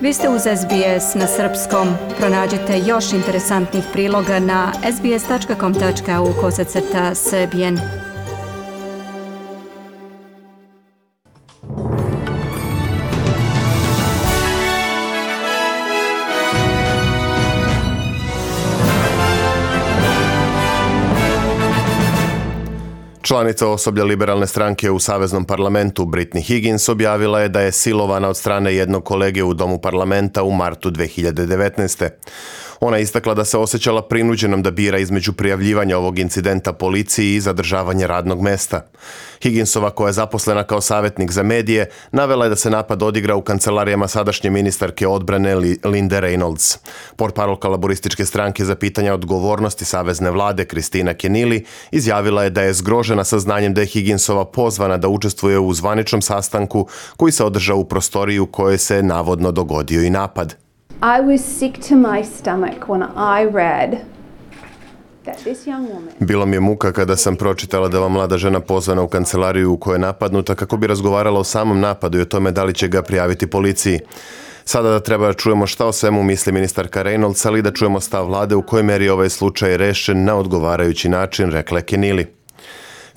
Vi ste uz SBS na srpskom. Pronađite još interesantnih priloga na sbs.com.au/srbijen. Članica osoblja liberalne stranke u Saveznom parlamentu Brittany Higgins objavila je da je silovana od strane jednog kolege u domu parlamenta u martu 2019. Ona je istakla da se osjećala prinuđenom da bira između prijavljivanja ovog incidenta policiji i zadržavanja radnog mesta. Higginsova, koja je zaposlena kao savjetnik za medije, navela je da se napad odigra u kancelarijama sadašnje ministarke odbrane Linde Reynolds. Portparolka laborističke stranke za pitanja odgovornosti savezne vlade Kristina Kenili izjavila je da je zgrožena saznanjem da je Higginsova pozvana da učestvuje u zvaničnom sastanku koji se održao u prostoriji u kojoj se navodno dogodio i napad. I was sick to my stomach when I read that this young woman... Bilo mi je muka kada sam pročitala da ova mlada žena pozvana u kancelariju u kojoj je napadnuta kako bi razgovarala o samom napadu i o tome da li će ga prijaviti policiji. Sada da treba da čujemo šta o svemu misli ministarka Reynolds, ali da čujemo stav vlade u kojoj meri ovaj slučaj rešen na odgovarajući način, rekla je Kenili.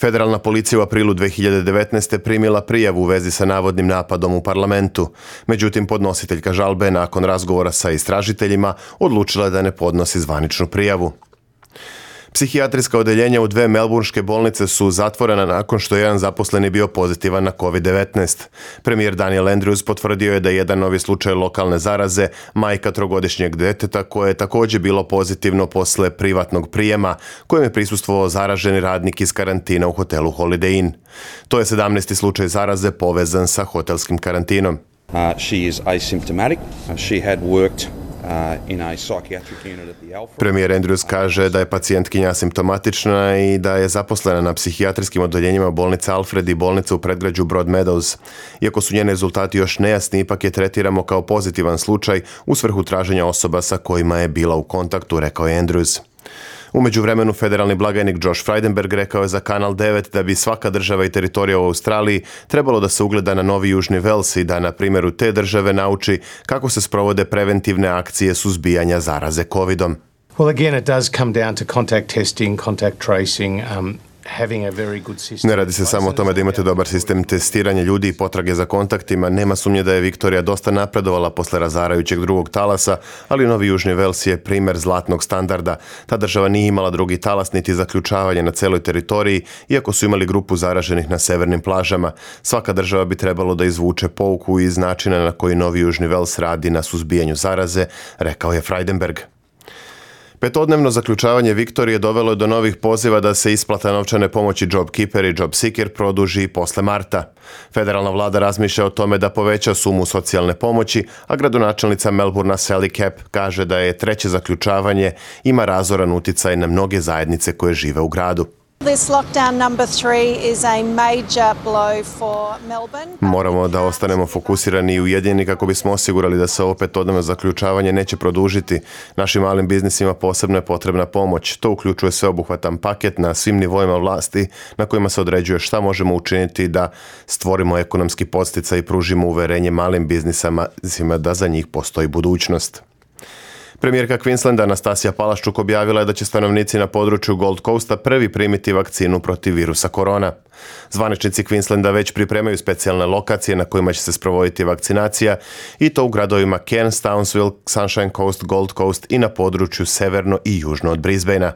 Federalna policija u aprilu 2019. primila prijavu u vezi sa navodnim napadom u parlamentu. Međutim, podnositeljka žalbe nakon razgovora sa istražiteljima odlučila da ne podnosi zvaničnu prijavu. Psihijatrijska odeljenja u 2 melbourneške bolnice su zatvorena nakon što je jedan zaposleni bio pozitivan na COVID-19. Premijer Daniel Andrews potvrdio je da je jedan novi slučaj lokalne zaraze, majka 3-godišnjeg deteta koje je također bilo pozitivno posle privatnog prijema, kojem je prisustvovao zaraženi radnik iz karantina u hotelu Holiday Inn. To je 17. slučaj zaraze povezan sa hotelskim karantinom. She is asymptomatic. She had worked Premijer Andrews kaže da je pacijentkinja asimptomatična i da je zaposlena na psihijatrijskim odeljenjima bolnice Alfred i bolnice u predgrađu Broadmeadows. Iako su njeni rezultati još nejasni, ipak je tretiramo kao pozitivan slučaj u svrhu traženja osoba sa kojima je bila u kontaktu, rekao je Andrews. U međuvremenu federalni blagajnik Josh Frydenberg rekao je za Kanal 9 da bi svaka država i teritorija u Australiji trebalo da se ugleda na Novi Južni Vels i da na primjeru te države nauči kako se sprovode preventivne akcije suzbijanja zaraze COVID-om. Well, again, it does come down to contact testing, contact tracing, Ne radi se samo o tome da imate dobar sistem testiranja ljudi i potrage za kontaktima. Nema sumnje da je Viktorija dosta napredovala posle razarajućeg drugog talasa, ali Novi Južni Vels je primer zlatnog standarda. Ta država nije imala drugi talas niti zaključavanje na celoj teritoriji, iako su imali grupu zaraženih na severnim plažama. Svaka država bi trebalo da izvuče pouku iz načina na koji Novi Južni Vels radi na suzbijanju zaraze, rekao je Frydenberg. Petodnevno zaključavanje Viktorije dovelo je do novih poziva da se isplata novčane pomoći JobKeeper i JobSeeker produži posle marta. Federalna vlada razmišlja o tome da poveća sumu socijalne pomoći, a gradonačelnica Melbourna Sally Capp kaže da je treće zaključavanje ima razoran uticaj na mnoge zajednice koje žive u gradu. This lockdown number 3 is a major blow for Melbourne. Moramo da ostanemo fokusirani i ujedinjeni kako bismo osigurali da se ovo petodnevno zaključavanje neće produžiti. Našim malim biznisima posebno je potrebna pomoć. To uključuje sveobuhvatan paket na svim nivoima vlasti na kojima se određuje šta možemo učiniti da stvorimo ekonomski podsticaj i pružimo uverenje malim biznisima da za njih postoji budućnost. Premijerka Queenslanda Anastasija Palaščuk objavila je da će stanovnici na području Gold Coasta prvi primiti vakcinu protiv virusa korona. Zvaničnici Queenslanda već pripremaju specijalne lokacije na kojima će se sprovoditi vakcinacija i to u gradovima Cairns, Townsville, Sunshine Coast, Gold Coast i na području severno i južno od Brisbanea.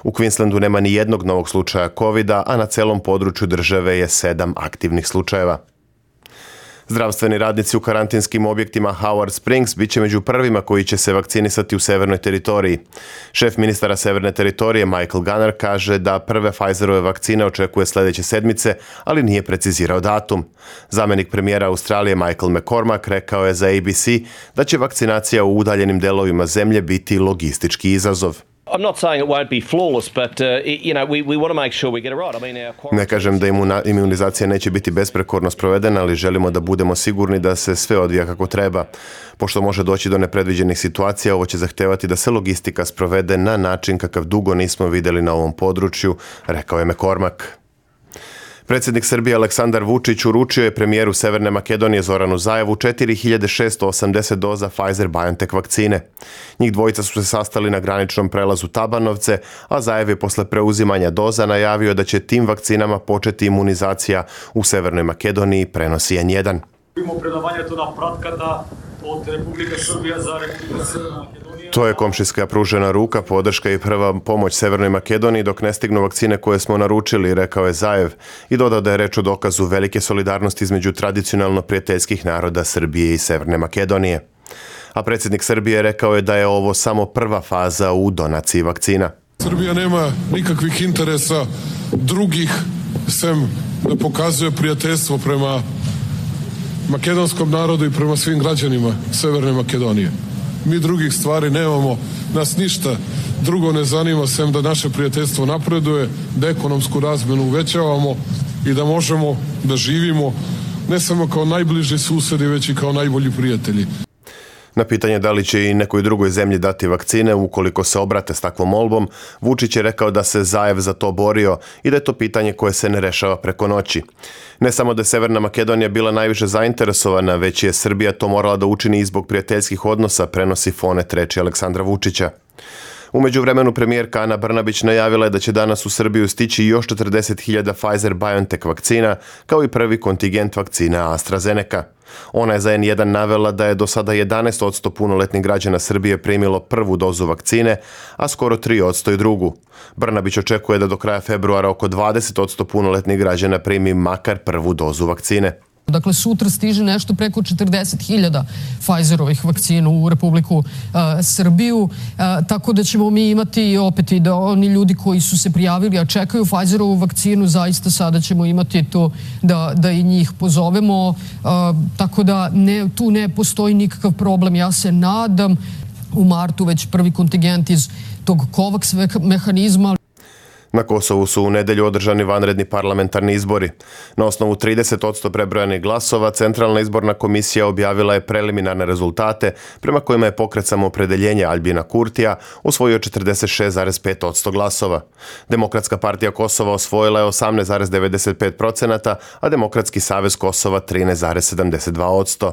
U Queenslandu nema ni jednog novog slučaja COVID-a, a na celom području države je 7 aktivnih slučajeva. Zdravstveni radnici u karantinskim objektima Howard Springs bit će među prvima koji će se vakcinisati u severnoj teritoriji. Šef ministara severne teritorije Michael Gunner kaže da prve Pfizerove vakcine očekuje sljedeće sedmice, ali nije precizirao datum. Zamenik premijera Australije Michael McCormack rekao je za ABC da će vakcinacija u udaljenim delovima zemlje biti logistički izazov. I'm not saying it won't be flawless, but we want to make sure we get it right. Ne kažem da imunizacija neće biti besprekorno sprovedena, ali želimo da budemo sigurni da se sve odvija kako treba. Pošto može doći do nepredviđenih situacija, ovo će zahtevati da se logistika sprovede na način kakav dugo nismo vidjeli na ovom području, rekao je McCormack. Predsjednik Srbije Aleksandar Vučić uručio je premijeru Severne Makedonije Zoranu Zaevu 4680 doza Pfizer-BioNTech vakcine. Njih dvojica su se sastali na graničnom prelazu Tabanovce, a Zaev je posle preuzimanja doza najavio da će tim vakcinama početi imunizacija u Severnoj Makedoniji, prenosi N1. To je komšijska pružena ruka, podrška i prva pomoć Severnoj Makedoniji dok ne stignu vakcine koje smo naručili, rekao je Zaev i dodao da je reč o dokazu velike solidarnosti između tradicionalno prijateljskih naroda Srbije i Severne Makedonije. A predsjednik Srbije rekao je da je ovo samo prva faza u donaciji vakcina. Srbija nema nikakvih interesa drugih sem da pokazuje prijateljstvo prema makedonskom narodu i prema svim građanima Severne Makedonije. Mi drugih stvari nemamo, nas ništa drugo ne zanima sem da naše prijateljstvo napreduje, da ekonomsku razmenu uvećavamo i da možemo da živimo ne samo kao najbliži susedi, već i kao najbolji prijatelji. Na pitanje da li će i nekoj drugoj zemlji dati vakcine ukoliko se obrate s takvom molbom, Vučić je rekao da se Zaev za to borio i da je to pitanje koje se ne rešava preko noći. Ne samo da je Severna Makedonija bila najviše zainteresovana, već je Srbija to morala da učini i zbog prijateljskih odnosa, prenosi Fonet reči Aleksandra Vučića. U međuvremenu premijerka Ana Brnabić najavila je da će danas u Srbiju stići još 40.000 Pfizer-BioNTech vakcina, kao i prvi kontingent vakcina AstraZeneca. Ona je za N1 navela da je do sada 11% punoletnih građana Srbije primilo prvu dozu vakcine, a skoro 3% i drugu. Brnabić očekuje da do kraja februara oko 20% punoletnih građana primi makar prvu dozu vakcine. Dakle, sutra stiže nešto preko 40.000 Pfizerovih vakcina u Republiku Srbiju, tako da ćemo mi imati opet i da oni ljudi koji su se prijavili, a čekaju Pfizerovu vakcinu, zaista sada ćemo imati to da i njih pozovemo, tako da tu ne postoji nikakav problem. Ja se nadam u martu već prvi kontingent iz tog COVAX mehanizma. Na Kosovu su u nedelju održani vanredni parlamentarni izbori. Na osnovu 30% prebrojanih glasova, Centralna izborna komisija objavila je preliminarne rezultate prema kojima je pokret Samoopredeljenja Aljbina Kurtija osvojio 46,5% glasova. Demokratska partija Kosova osvojila je 18,95%, a Demokratski savez Kosova 13,72%.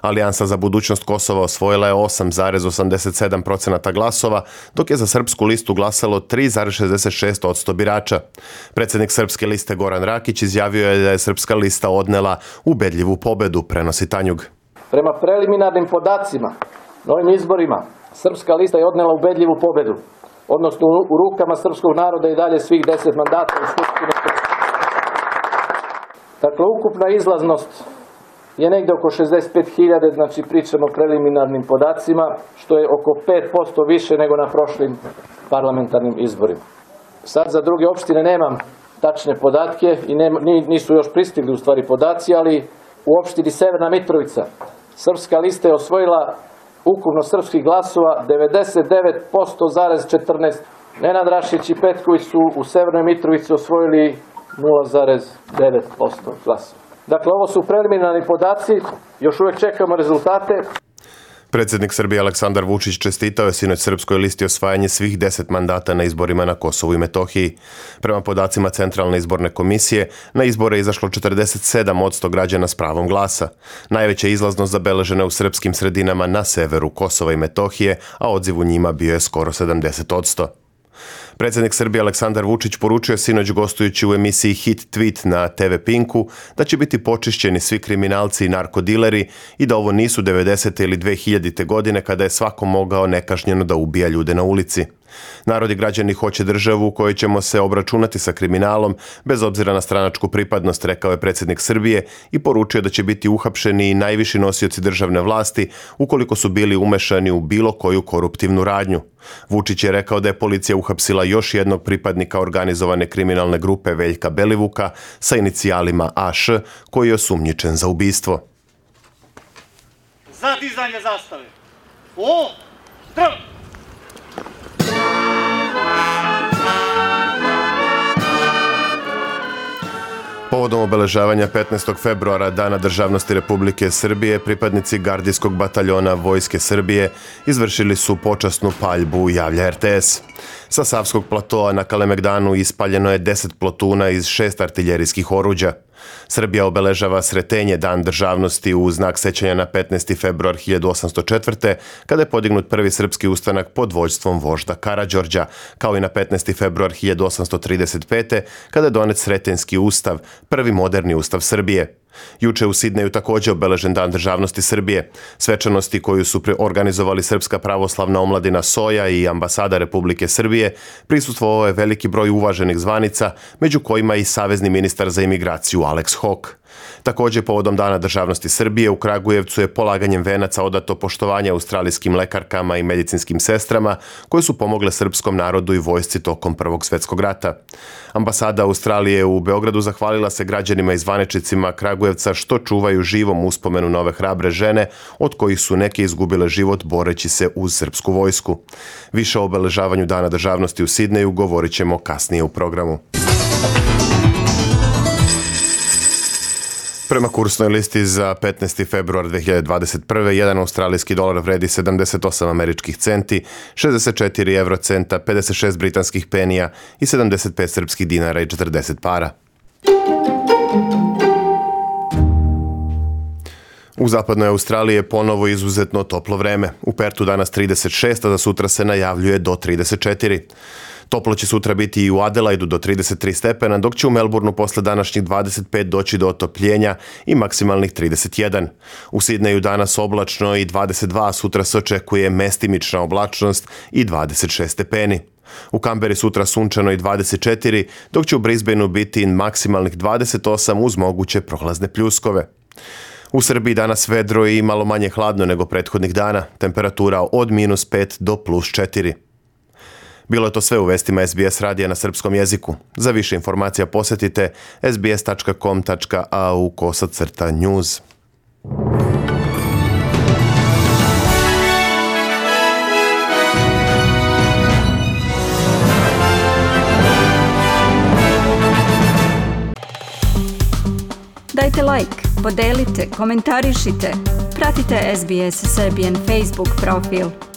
Alijansa za budućnost Kosova osvojila je 8,87% glasova, dok je za Srpsku listu glasalo 3,66% birača. Predsjednik Srpske liste Goran Rakić izjavio je da je Srpska lista odnela ubedljivu pobedu, prenosi Tanjug. Prema preliminarnim podacima na ovim izborima, Srpska lista je odnela ubedljivu pobedu, odnosno u rukama srpskog naroda i dalje svih 10 mandata u Skupštini. Dakle, ukupna izlaznost je negde oko 65.000, znači pričamo o preliminarnim podacima, što je oko 5% više nego na prošlim parlamentarnim izborima. Sad za druge opštine nemam tačne podatke i nisu još pristigli u stvari podaci, ali u opštini Severna Mitrovica Srpska lista je osvojila ukupno srpskih glasova 99,14%. Nenad Rašić i Petković su u Severnoj Mitrovici osvojili 0,9% glasova. Dakle, ovo su preliminarni podaci, još uvijek čekamo rezultate. Predsjednik Srbije Aleksandar Vučić čestitao je sinoć Srpskoj listi osvajanje svih 10 mandata na izborima na Kosovu i Metohiji. Prema podacima Centralne izborne komisije, na izbore je izašlo 47% građana s pravom glasa. Najveća izlaznost zabeležena u srpskim sredinama na severu Kosova i Metohije, a odziv u njima bio je skoro 70%. Predsjednik Srbije Aleksandar Vučić poručio sinoć gostujući u emisiji Hit Tweet na TV Pinku da će biti počišćeni svi kriminalci i narkodileri i da ovo nisu 90. ili 2000. godine kada je svako mogao nekažnjeno da ubija ljude na ulici. Narod i građani hoće državu u kojoj ćemo se obračunati sa kriminalom bez obzira na stranačku pripadnost, rekao je predsjednik Srbije i poručio da će biti uhapšeni i najviši nosioci državne vlasti ukoliko su bili umešani u bilo koju koruptivnu radnju. Vučić je rekao da je policija uhapsila još jednog pripadnika organizovane kriminalne grupe Veljka Belivuka sa inicijalima AŠ koji je osumnjičen za ubistvo. Za dizanje zastave. O! Zdravo! Povodom obeležavanja 15. februara Dana državnosti Republike Srbije, pripadnici gardijskog bataljona Vojske Srbije izvršili su počasnu paljbu, javlja RTS. Sa Savskog platoa na Kalemegdanu ispaljeno je 10 plotuna iz 6 artiljerijskih oruđa. Srbija obeležava Sretenje, Dan državnosti, u znak sećanja na 15. februar 1804. kada je podignut prvi srpski ustanak pod vođstvom vožda Karađorđa, kao i na 15. februar 1835. kada je donet Sretenjski ustav, prvi moderni ustav Srbije. Juče u Sidneju također obeležen Dan državnosti Srbije. Svečanosti koju su organizovali Srpska pravoslavna omladina Soja i ambasada Republike Srbije prisustvovao je veliki broj uvaženih zvanica, među kojima i savezni ministar za imigraciju Alex Hok. Također povodom Dana državnosti Srbije u Kragujevcu je polaganjem venaca odato poštovanje australijskim lekarkama i medicinskim sestrama koje su pomogle srpskom narodu i vojsci tokom Prvog svjetskog rata. Ambasada Australije u Beogradu zahvalila se građanima i zvaničnicima Kragujevca što čuvaju živom uspomenu na ove hrabre žene, od kojih su neke izgubile život boreći se uz srpsku vojsku. Više o obeležavanju Dana državnosti u Sidneju govorit ćemo kasnije u programu. Prema kursnoj listi za 15. februar 2021. jedan australijski dolar vredi 78 američkih centi, 64 eurocenta, 56 britanskih penija i 75 srpskih dinara i 40 para. U zapadnoj Australiji je ponovo izuzetno toplo vreme. U Pertu danas 36, a za sutra se najavljuje do 34. Toplo će sutra biti i u Adelaidu do 33 stepena, dok će u Melbourneu posle današnjih 25 doći do otopljenja i maksimalnih 31. U Sidneju danas oblačno i 22, a sutra se očekuje mestimična oblačnost i 26 stepeni. U Kamberi sutra sunčano i 24, dok će u Brisbaneu biti maksimalnih 28 uz moguće prohlazne pljuskove. U Srbiji danas vedro i malo manje hladno nego prethodnih dana, temperatura od -5 do +4. Bilo je to sve u vestima SBS radija na srpskom jeziku. Za više informacija posjetite sbs.com.au/news. Dajte like, podelite, komentarišite. Pratite SBS Serbian Facebook profil.